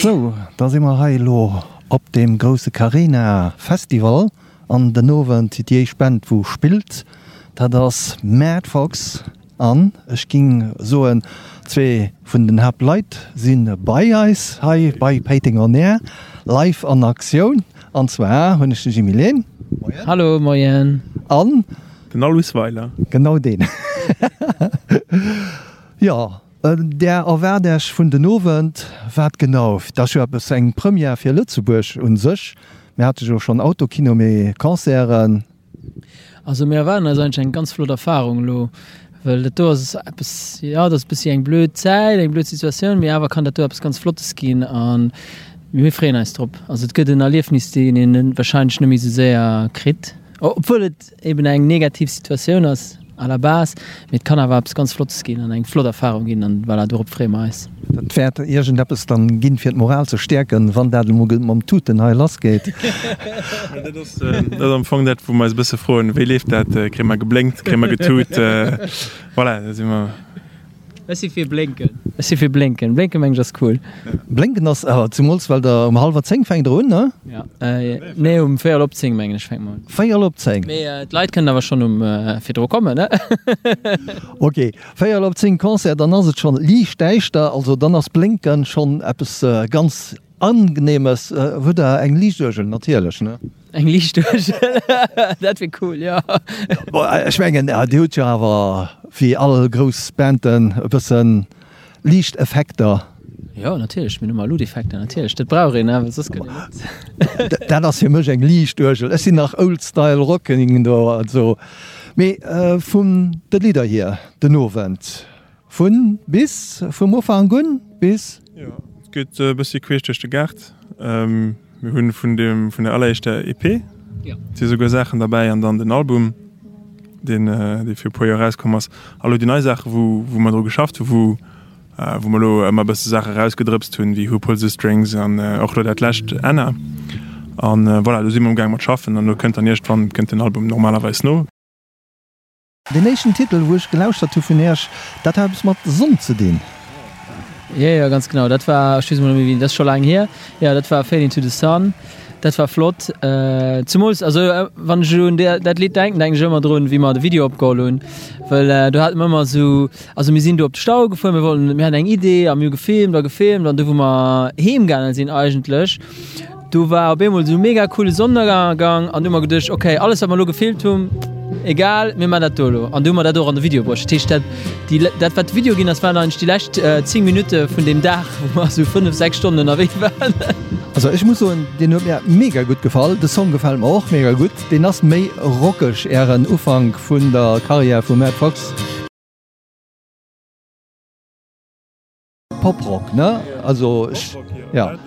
Sou, da si mer hei elo op deem grousse Carena Festival an den Owend déi éischt Band wou spillt, dat ass Mad Fox an ech ging soen zwee vun den Haaptleit si bei eis hei bei Péiteng On Air live an Aktioun an zwar hunn ech de Jimmy Lehn. Moien. Hallo, moien. An. Den Aloyse Weiler. Genau deen. Jo, Där erwaart Iech vun den Owend wat genau? Dat ass jo eppes eng Première fir Lëtzebuerg un sech. Mir hate jo schonn Autokino, mee Concerten. Also mir erwaarden eis eigentlech eng ganz flott Erfarung elo, well dat do ass eppes, jo dat ass e bëssi eng blöd Zäit, eng blöd Situatioun, mee awer kann dat do eppes ganz Flottes ginn a mir freeën eis drop. Also et gëtt en Erliefnis, deen een warscheinlech net méi esou séier kritt, obwuel et eben eng negativ Situatioun ass à la base, mee et kann awer eppes ganz Flottes ginn an eng flott Erfahrung ginn an voilà, dorop freeë mer eis. Dat wäert iergendeppes dann ginn, fir d'Moral ze stäerken, wann dat emol mam Tuten hei lass geet. Dat ass am Fong dat, wou mer eis e bësse froen, Wéi leeft dat? Kréie mer geblénkt? Kréie mer getut? Voilà, da si mer. Ech si fir Blénken. Ech si fir Blénken. Blénken mengen ech ass cool. Blénken ass, zumools well der um hallwer 10 fänkt der un, ne? Ja, nee um véierel op 10 mengen ech fänke mer un. Véierel op 10. Mee d'Leit kënnen awer schonn um virdru kommen, ne? Ok, véierel op 10 Concert, dann ass et schonn liicht däischter, also dann ass Blénken schonn eppes ganz Angenehmes. Hutt der eng Liichtuergel? Natierlech, ne? Eng Liichtuergel, dat wier cool, jo. Bon, ech mengen, Dir hutt jo awer wéi all grouss Banden e bëssen Liichteffekter. Jo, natierlech, mir hunn ëmmer Luuteffekter, natierlech, dat brauch een, well soss gëtt een net. Dat ass fir mech eng Liichtuergel. Ech sinn nach Old Style Rocking do, also. Mee vun de Lidder hier den Owend, Vun bis, vum Ufank un bis. Jo, et geet e bëssi queesch duerch de Gaart. Mir hunn vun dem, vun der alleréischter EP si souguer Saachen derbäi an dann den Album, deen, dee fir e puer Joer erauskomm ass. A lo déi nei Saache wou, wou mer dru geschafft hu, wou, wou mer elo ëmmer e bësse Saache erausgedrëpst hunn, wéi Who Pulls the Strings an och elo dat lescht Anna. An voilà, do si mer amgaang mat schaffen an elo kënnt dann iergendwann kënnt den Album normalerweis no. Deen éischten Titel wou ech gelauschtert hu vun Iech, dat hat eppes mat Sonn ze dinn. Jo, jo, ganz genau. Dat war, ech weess emol net méi wéi, dat ass scho laang hier. Jo, dat war Fade into the Sun. Dat war flott. Zemools, also wann ech elo un dat Lidd denken, denken ech ëmmer drun, wéi mer de Video opgeholl hunn, well do hate mer ëmmer esou, also mir sinn do op de Stau gefuer, mir wollten, mir haten eng Idee a mir hu gefilmt a gefilmt an du wou mer heem gaange sinn eigentlech, Do war op eemol esou mega coole Sonnenënnergang an du hu mer geduecht, ok, alles wat mer elo gefilmt hunn, egal, mir man dat do elo. An du hu mer dat och an de Video bruecht. Dat heescht, dat, déi, dat wat de Video ginn ass, waren eigentlech déi lescht 10 Minutte vun deem Dag, wou mer esou 5, 6 Stonnen ënnerwee waren. Also ech muss soen, deen huet mir mega gutt gefall. De Song gefält mer och mega gutt. Deen ass méi rockeg, ären Ufank vun der Karriär vu Mad Fox. Pop-Rock, ne? Also ech, ja.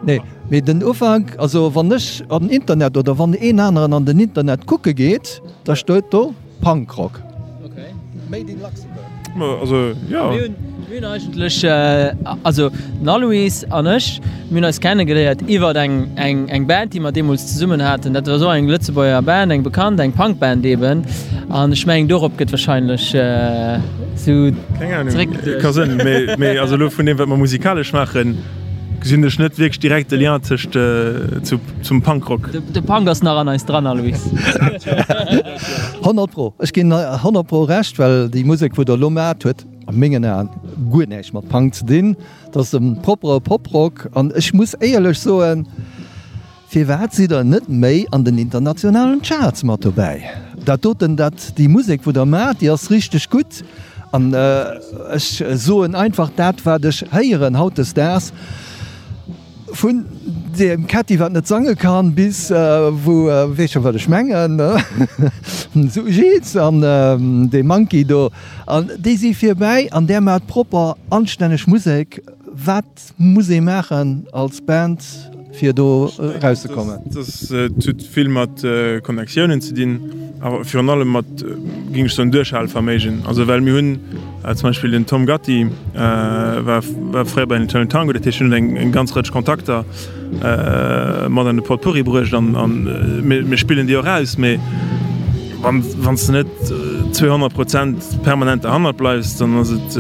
Nee, mee den Ufank, also wann ech an den Internet oder wann een aneren an den Internet kucke geet, da steet do Punkrock. Okay. Made in Luxembourg. Also, jo. Mir hunn, mir hunn eigentlech, also den Aloyse an ech, mir hunn eis kennegeléiert iwwert eng, eng, eng Band, déi mer deemools zesummen haten. Dat war esou eng Lëtzebuerger Band, eng bekannt, eng Punkband eben. An ech mengen, dorop gëtt wahrscheinlech esou. Keng Ahnung, ka sënn, mee, mee also elo vun deem wat mer musikalesch maachen, gesinn ech net wierklech direkt de Lien tëscht zu, zum Punkrock. De Punk ass nach an eis dran, Aloyse. 100 pro, ech ginn 100 pro Recht, well déi Musek wou der elo maacht huet a mengen Aen guer näischt mat Punk ze dinn. Dat ass e proppere Poprock an ech muss éierlech soen, Firwat sidd der net méi an den internationalen Charts mat dobäi? Dat doten, dat, déi Musek wou der maacht, déi ass richteg gutt an ech soen einfach dat wat ech héieren hautdesdaags, vun deem Ketti wat net sange kann bis wou, weess scho wat ech mengen, sou Jeez an dee Monkey do an déi si virbäi an där maacht propper anstänneg Musek. Wat muss ee maachen als Band fir do erauszekommen? Dat huet vill mat Connectiounen ze dinn, awer virun allem mat, géing ech soen, Duerchhaleverméigen. Also well mir hunn zum Beispill den Tom Gatti war fréier bei den Eternal Tango, dat heescht hien huet eng ganz Rëtsch Kontakter mat an de Potpourri bruecht an mir spillen déi och aus. Mee wann s de net. 200 Prozent permanent derhannert bleifs, dann ass et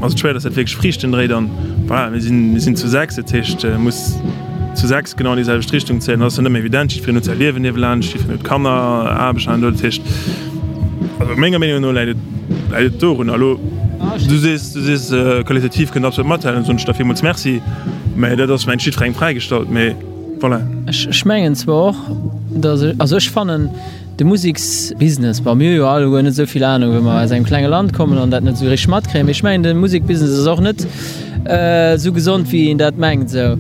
ass et schwéier, dass dat wierklech Friichten dréit. An voilà, mir sinn, mir sinn zu 6, dat heescht muss zu 6 genau an déi selwecht Richtung zéien. Dat ass dann net méi evident, jiddwereen huet säi Liewen niewelaanscht, jiddwereen huet Kanner, Aarbecht an dat heescht, also menger Meenung no läit et läit et dorun. A lo, du sees, du sees qualitativ kënnt absolut mathalen, soen ech der villmools Merci, mä dat ass mengt jiddwerengem fräigestallt, mee voilà. Ech mengen zwar och, dass ech, also ech fannen, De Museksbusiness, bon mir hu jo alleguer net esou vill Anung, well mer aus engem klenge Land kommen an dat net esou richteg matkréien, mee ech mengen de Musekbusiness ass och net esou gesond wéi een dat mengt, esou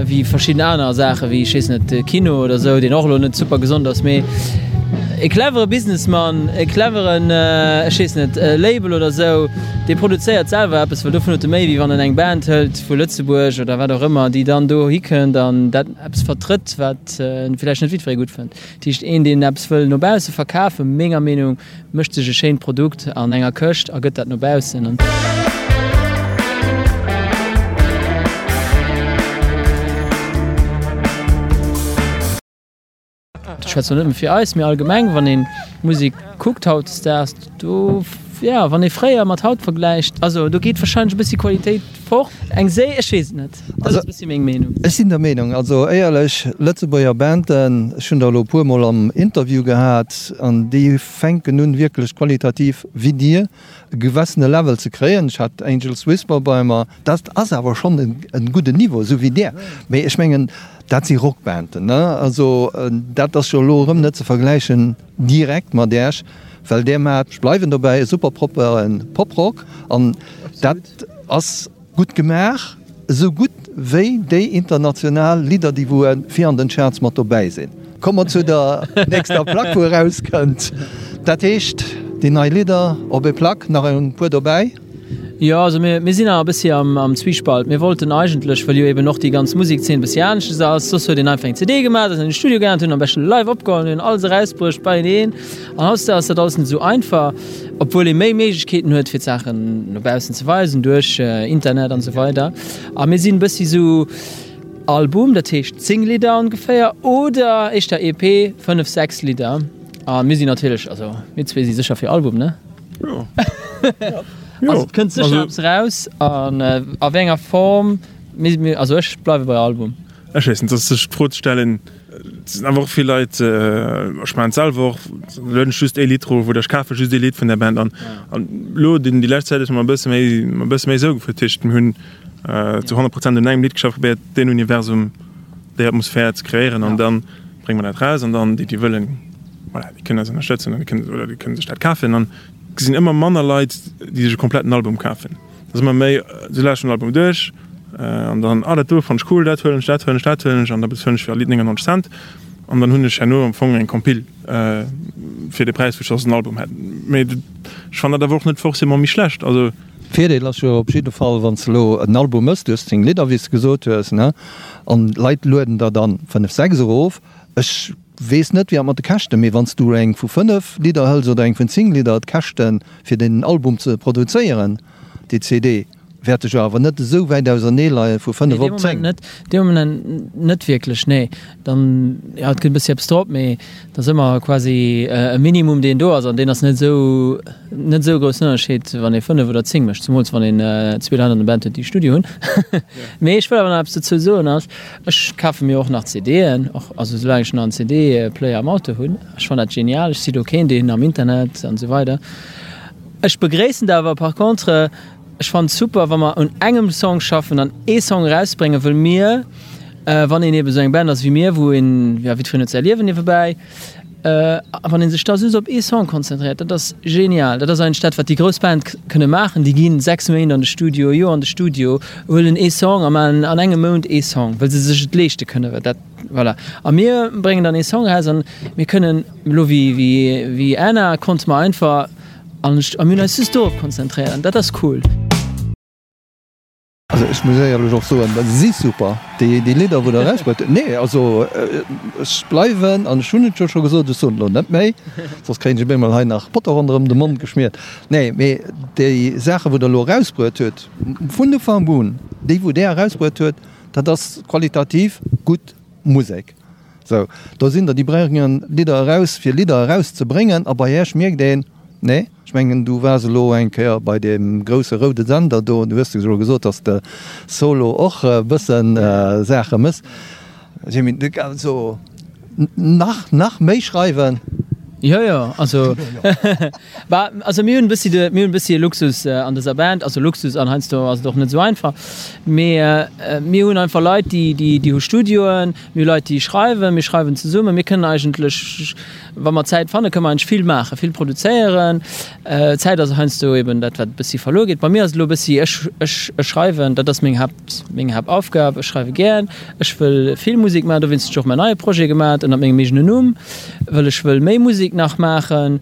wéi verschidden aner Saachen, wéi ech weess net, de Kino oder esou, deen och elo net super gesond ass, mee e clevere Businessman, e cleveren, ech weess net, Label oder esou, dee produzéiert selwer eppes, well dovun huet e méi wéi wann en eng Band hëlt vu Lëtzebuerg oder wat och ëmmer, déi dann do hikënnt an dat eppes vertrëtt, wat vläicht net jiddweree gutt fënnt. Dat heescht, een, deen eppes wëll no bausse verkafen, menger Meenung, mécht sech e schéint Produkt an enger Këscht a gëtt dat no baussen. Ech schwätzen elo net nëmme fir eis, mee allgemeng, wann ee Musek kuckt hautdesdaags, do, jo, wann ee fréier mat haut vergläicht, also do geet warscheinlech e bëssi Qualitéit fort. Eng Séi, ech weess et net, dat ass e bëssi meng Meenung. Ech sinn der Meenung, also éierlech, Lëtzebuerger Banden, ech hunn der elo e puer mol am Interview gehat, an déi fänken un wierklech qualitativ wéi dir e gewessene Level ze kréien. Ech hat Angels Whisper bei mer, dat ass awer schonn e gudden Niveau, esou wéi där. Mee ech mengen, dat si Rockbanden, ne, also dat ass jo elo erëm net ze vergläichen direkt mat Äech, well där maacht, ech bleiwen dobäi, e super proppere Poprock an dat ass gutt gemaach, esou gutt wéi déi international Lidder, déi wou fir an den Charts mat dobäi sinn. Komme mer zu der nächster Plack wou erauskënnt, dat heescht déi nei Lidder op ee Plack, nach e puer dobäi. Jo, also mir, mir sinn awer e bëssi am, am Zwiespalt. Mir wollten eigentlech, well jo eben och déi ganz Musekzeen e bëssi aneschters ass, soss huet een einfach eng CD gemaach, ass an den Studio gaangen, huet en am beschten live opgeholl, hunn alles erausbruecht beieneen. An hautdesdaags ass dat alles net esou einfach, obwuel ee méi Méiglechkeeten huet, fir d'Saachen no baussen ze weisen duerch Internet an esou weider. A mir sinn e bëssi esou Album, dat heescht 10 Lidder ongeféier, oder éischter EP, 5, 6 Lidder. A mir sinn natierlech, also mir zwee si sécher fir Album, ne? Jo. Also et kënnt sécher eppes eraus an a wéi enger Form, also ech bleiwe bei Album. Ech weess net, ass sech d'Fro ze stellen. Et sinn awer och vill Leit, ech maachen et selwer och, lueden ech just ee Lidd erof oder ech kafe just ee Lidd vun der Band an elo déi lescht Zäit ass mer e bësse méi, e bësse méi esou gefuer. Dat heescht mir hunn zu 100 Prozent un engem Lidd geschafft, probéiert deen Universum, déi Atmosphär ze kreéieren an dann brénge mer dat raus an dann déi déi wëllen, voilà, déi kënnen eis ënnerstëtzen an déi kënnen, oder déi kënnen sech dat kafen. An et sinn ëmmer manner Leit, déi sech e kompletten Album kafen. Et ass ëmmer méi, se lauschteren den Album duerch an dann, ah dat do fannt ech cool, dat huelen ech, dat huelen ech, dat huelen ech an da bezuelen ech fir all Lidd 99 Cent an dann hunn ech herno am Fong eng Compile fir de Präis, wou ech soss en Album hätt. Mee ech fannen dat awer och net forcément méi schlecht. Also. Virdeel ass jo op jidde Fall, wann s de elo en Album mëss, du hues 10 Lidder, wéi s de gesot hues, ne, an d'Leit lueden der dann 5, 6 erof. Ech weess net wéi dat mat de Käschten, mee wann s du eng vu 5 Lidder hëls oder eng vun 10 Lidder, d'Käschte fir den Album ze produzéieren, déi CD, wäerte jo awer net esou wäit ausernee leie vu 5 op 10. Nee, dee Moment net wierklech, nee. Dann, jo, et kënnt e bëssi eppes drop, mee et ass ëmmer quasi e Minimum, deen do ass, an deen ass net esou, net esou e groussen Ënnerscheed, wann ee 5 oder 10 mécht, zemools wann een zwee Leit an der Band huet, déi Studio hunn. Mee ech wëll awer nach eppes dozou soen, ass, Ech kafe mir och nach CDen, och, also soulaang ech nach en CD-Player am Auto hunn. Ech fannen dat genial. Ech si do keen, deen am Internet an esou weider. Ech begréissen dat awer par contre, ech fannen et super, wa mer un engem Song schaffen an ee Song erausbréngen, wëll mir, wann een eben esou eng Band ass wéi mir, wou een, jo, jiddwereen huet säi Liewen niewebäi, A wann ee sech da just op ee Song konzentréiert, dat ass genial. Dat ass eigentlech dat, wat déi grouss Band kënne maachen. Déi ginn 6 Méint an de Studio, e Joer an de Studio, huelen ee Song a maachen an engem Mount ee Song, well se sech et leeschte kënnen. Well dat, voilà. A mir bréngen dann ee Song eraus an mir kënnen elo wéi, wéi, wéi Anna konnte mer einfach an, a mir hunn eis just dorop konzentréiert an dat ass cool. Also ech muss éierlech och soen, se si super, déi Lidder wou der erausbruet hutt. Nee, also ech bleiwen, an ech hunn et jo scho gesot, ech soen et elo net méi, soss kréien ech op eemol hei nach Botter ronderëm de Mond geschmiert. Nee, mee déi Saache wou der elo erausbruet hutt, vun Ufank un, déi wou där erausbruet huet, dat ass qualitativ gutt Musek. Sou, do sinn der, déi bréngen Lidder eraus fir Lidder erauszebréngen, a bei Iech mierkt een. Nee? Ech mengen, du waars elo eng Kéier bei deem grousse roude Sender do an du hues jo gesot, dass de solo och e bëssen Saache mëss. Jimmy, also nach, nach méi schreiwen? Jo, jo, also bah, also mir hunn e bëssi de, mir hunn e bëssi e Luxus an dëser Band, also Luxus an heiansdo ass et och net esou einfach, mee mir hunn einfach Leit, déi, déi, déi hu Studioen, mir hu Leit, déi schreiwen, mir schreiwen zesummen, mir kënnen eigentlech, wa mer Zäit fannen, kënnen mer eigentlech vill maachen, vill produzéieren. Zäit ass heiansdo eben dat, wat e bëssi verluer geet. Bei mir ass et elo e bëssi, ech, ech, ech schreiwen, dat ass meng Haapt. Meng Haaptaufgab, ech schreiwe gär, ech wëll vill Musek maachen, dowéinst hunn ech och mäin neie Projet gemaat ënnert mengem eegenen Numm, wëll ech wëll méi Musek nach maachen.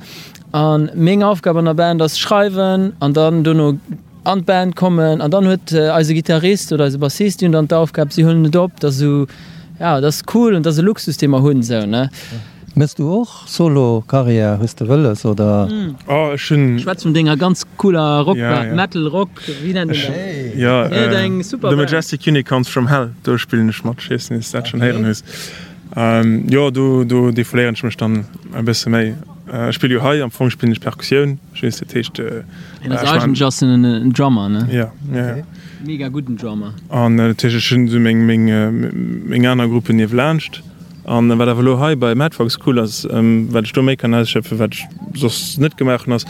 A meng Aufgab an der Band ass schreiwen an dann dono an d'Band kommen an dann huet eise Gittarist oder eise Bassist, déi hunn dann d'Aufgab, si huelen et op. Dat ass esou, ja, dat ass cool an dat ass e Luxus, dee mer hunn esou, ne. Mëss du och Solo Carrière? Hues de wëlles oder? Oh ech hunn. Schwätz vun denger ganz cooler Rock Band, Metal Rock, wéi nennt een dat? Jo, The Majestic Unicorns from Hell, do spillen ech mat. Ech weess net, s de dat schonn héieren hues. Jo, do do defouléieren ech mech dann e bësse méi. Ech spille jo hei, am Fong spillen ech Perkussioun, just dat heescht. Hien ass eigentlech ass en en Drummer, ne? Jo, jo, jo. Mega gudden Drummer. An dat heescht, ech hunn esou meng meng meng aner Gruppen niewelaanscht. An wat awer elo hei bei Madfox cool ass, wat ech do méi kann ausschöpfen, wat ech soss net gemaach hunn, ass,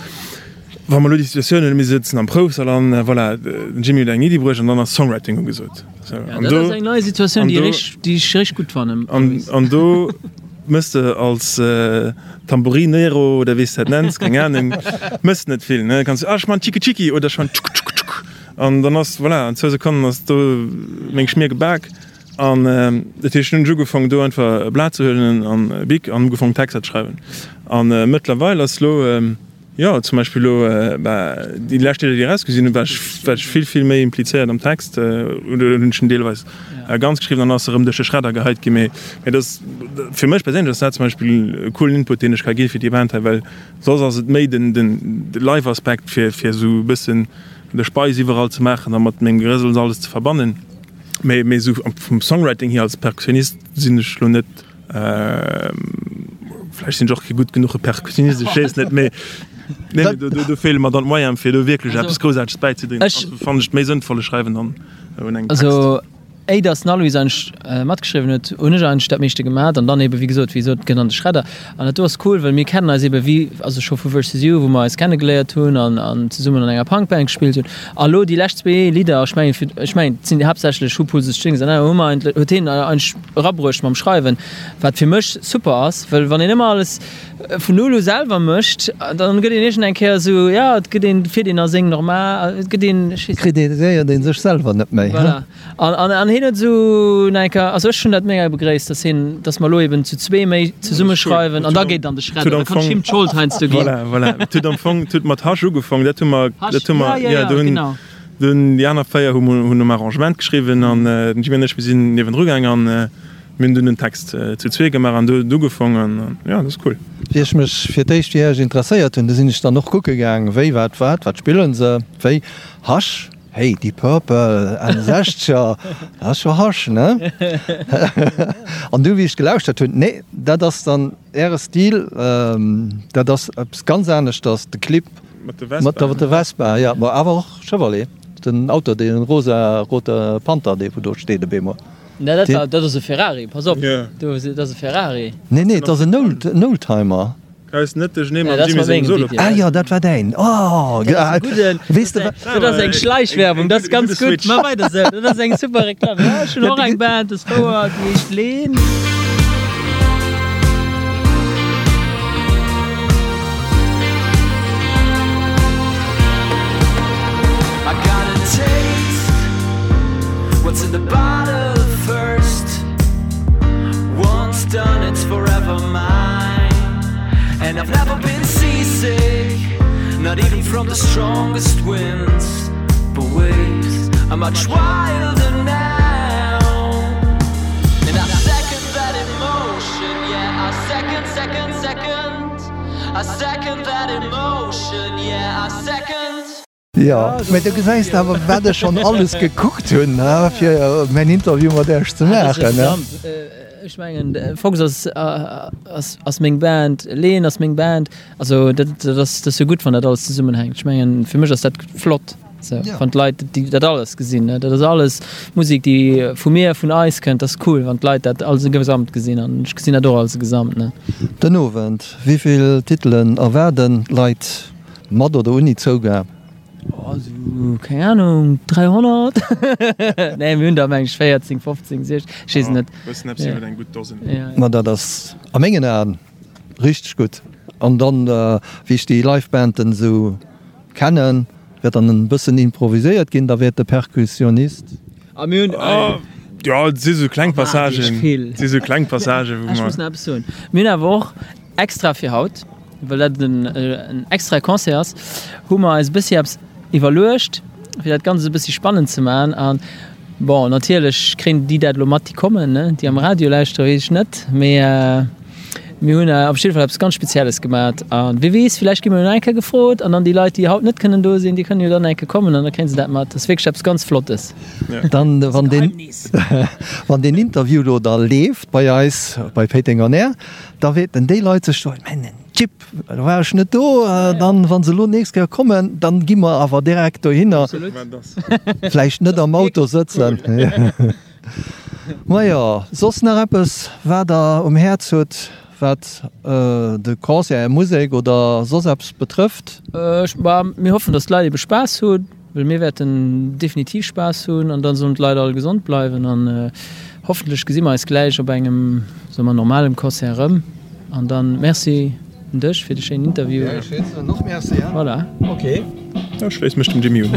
wa mer elo déi Situatioun hunn, mir sëtzen am Proufsall an voilà, den Jimmy huet eng Iddi bruecht an dann ass Songwriting ugesot. Sou, an do, dat ass eng nei Situatioun, déi ech déi ech richteg gutt fannen. An, an do mëss de als Tamborinero oder wéi s de dat nenns, keng Anung, mëss net vill, ne? Kanns du, ah, ech man Tschiki Tschiki oder ech man Tschuk Tschuk Tschuk an dann ass, voilà, an zwou Sekonnen ass do meng Schmier gebak. An dat heescht, hunn ech ugefaangen do einfach e Blat ze huelen an e Bic an ugefaangen Texter ze schreiwen. An mëttlerweil ass lo, jo zum Beispill lo, bah déi lescht Lidder déi erausgesinn hunn, war ech war ech vill vill méi implizéiert am Text oder hunn ech en deelweis ganz geschriwwen an ass erëm duerch de Schredder geheit ginn. Mee mee dat ass fir mech perséinlech ass dat zum Beispill e coolen Input deen ech ka gi fir déi Band hei, well soss ass et méi den den Live-Aspekt fir fir esou e bëssen de Speis iwwerall ze maachen a mat mengem Gerësels alles ze verbannen. Mee mee esou vum Songwriting hier als Perkussionist sinn ech lo net, vläicht sinn ech och kee gutt genuche Perkussionist, ech weess net, mee nee mee do do feele mer dann d'Moyene fir do wierklech eppes Groussaarteges bäizedroen. Also fannen ech et méi sënnvoll, ech schreiwen dann un engem Text. Also éi dass den Aloyse eigentlech matgeschriwwen huet, hunn ech eigentlech dat meeschte gemat an dann ebe wéi gesot, wéi gesot, gëtt an de Schredder. An dat do ass cool, well mir kennen eis ebe wéi, also scho vu Versus You, wou mer eis kennegeléiert hunn an an zesummen an enger Punkband gespillt hunn. A lo déi lescht zwee Lidder, ech mengen fir, ech mengen et sinn haaptsächlech Who Pulls the Strings an hu mer eigentlech, huet hien eigentlech erabruecht mam Schreiwen, wat fir mech super ass, well wann een ëmmer alles vun null u selwer mécht, dann gëtt een iergend eng Kéier esou, jo, et gëtt een, fiert een a seng normal, et gëtt een, ech weess net. Kritiséiert ee sech selwer net méi, he? Voilà. An, an, an hien huet esou nach eng Kéier, also ech hunn dat mega begréisst, dass hien, dass mer elo eben zu zwee méi zesumme schreiwen an da geet an de Schredder, da kann ech him d'Schold heiansdo ginn. Voilà, voilà. Et huet am Fong, et huet mat Hasch ugefaangen, dat hu mer, Hasch, dat hu mer, ja, ja, ja, do hunn, genau. do hunn déi aner 4 hu hunn um Arrangement geschriwwen an den Jimmy an ech, mir sinn niewendru gaang an mir hunn dunn den Text zu zwee gemaach an do huet et ugefaangen an jo, dat ass cool. Wéi ech mech fir d'éischt fir Iech interesséiert hunn, du sinn ech dann och kucke gaang, wéi, wat, wat, wat spillen se, wéi, Hasch. Hey, Deep Purple, Enn Sechzeger, dat ass scho harsch, ne? An du, wéi ech gelauschtert hunn, nee, dat ass dann äre Stil, dat ass eppes ganz aneschters, de Clip mat der Vespa, jo, ma awer och Chevrolet, den Auto, dee rosa-rote Panther, dee wou do steet op eemol. Nee, dat war, dat ass e Ferrari, pass op, dat ass e Ferrari. Nee, nee, dat ass en Oldtimer. Hues net duerchenee mam Jimmy sengem Solo. Ah jo, dat war däin. Oh, weess de wat? Dat ass eng Schleichwerbung, dat ass ganz gutt. Maach weider esou, dat ass eng super Reklamm. Jo, ech hunn och eng Band, dat ass wouer, déi heescht Leen. Jo, mee do gesäis de awer, wat ech schonn alles gekuckt hunn, fir mäin Interview mat Iech ze maachen. Ech mengen Fox ass ass ass meng Band, Leen ass meng Band. Also dat dat ass dat ass jo gutt, wann dat alles zesummenhänkt. Ech mengen fir mech ass dat flott, sou wann d'Leit déi dat alles gesinn. Dat ass alles Musek, déi vu mir, vun eis kënnt. Dat ass cool, wann d'Leit dat als e Gesamt gesinn an ech gesinn dat och als e Gesamt, ne. Den Owend, wéi vill Titelen erwaarden d'Leit mat oder ouni Zougab? Oh, sou, keng Ahnung, 300? Nee, mir hunn der meng ech 14, 15, 16, ech weess et net. Bëssen eppes iwwer eng gutt Dosen. Ma dat ass a mengen Aen richteg gutt. An dann, wéi ech déi Live-Banden esou kennen, wäert dann en bëssen improviséiert ginn, da wäert de Perkussionist. A mir hunn. Jo, et si sou kleng Passagen, et si sou kleng Passagen, wou mer. Ech muss nach eppes soen. Mir hunn awer och extra fir haut, well dat en extra Concert ass, hu mer eis e bëssi eppes iwwerluecht, fir dat Ganzt e bëssi spannend ze maachen. An bon, natierlech kréien déi dat elo mat, déi kommen, ne, déi am Radio lauschteren, weess ech net, mee mir hunn op jidde Fall eppes ganz Spezielles gemat. A wie weess, villäicht gi mer jo nach eng Kéier gefrot an dann déi Leit, déi haut net kënnen do sinn, déi kënnen jo dann eng Kéier kommen an da kréie se dat mat. Dat ass wierklech eppes ganz Flottes. Dann, wann deen, wann deen Interview elo da leeft bei eis, bei Péiteng on Air, Da wäerten déi Leit sech soen, Mä den Chip, do war ech net do. Dann, wa se elo nächst Kéier kommen, dann gi mer awer direkt dohinner. Vläicht net am Auto sëtzen. Majo, soss nach eppes, wat Der um Häerz hutt, wat de Concert, Är Musek oder soss eppes betrëfft? Mir hoffen, dass d'Leit ebe Spaass hunn. Well mir wäerten definitiv Spaass hunn an dann sollen d'Leit all gesond bleiwen an hoffentlech gesi mer eis gläich op engem, soe mer, normalem Concert erëm. An dann Merci un dech fir de schéinen Interview. Ja, ech soen och Merci. Voilà. Ok. Ech schléisse mech dem Jimmy un.